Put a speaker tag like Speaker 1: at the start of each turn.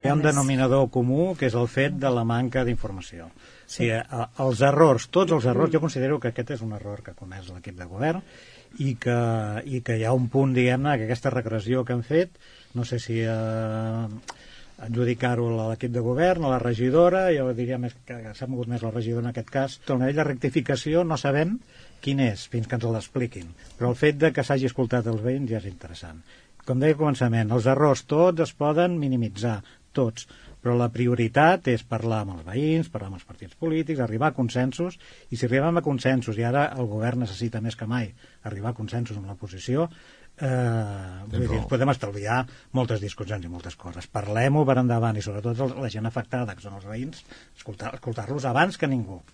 Speaker 1: Hi ha un denominador comú, que és el fet de la manca d'informació. Sí. Els errors, tots els errors, jo considero que aquest és un error que ha comès l'equip de govern i que hi ha un punt, diguem-ne, que aquesta regressió que han fet, no sé si adjudicar-ho a l'equip de govern, a la regidora, jo diria més que s'ha mogut més la regidora en aquest cas. El nivell de rectificació no sabem quin és, fins que ens l'expliquin, però el fet de que s'hagi escoltat els veïns ja és interessant. Com deia al començament, els errors tots es poden minimitzar, tots, però la prioritat és parlar amb els veïns, parlar amb els partits polítics, arribar a consensos, i si arribem a consensos, i ara el govern necessita més que mai arribar a consensos amb l'oposició, vull dir, podem estalviar moltes discussions i moltes coses. Parlem-ho per endavant, i sobretot la gent afectada, que són els veïns, escoltar-los abans que ningú.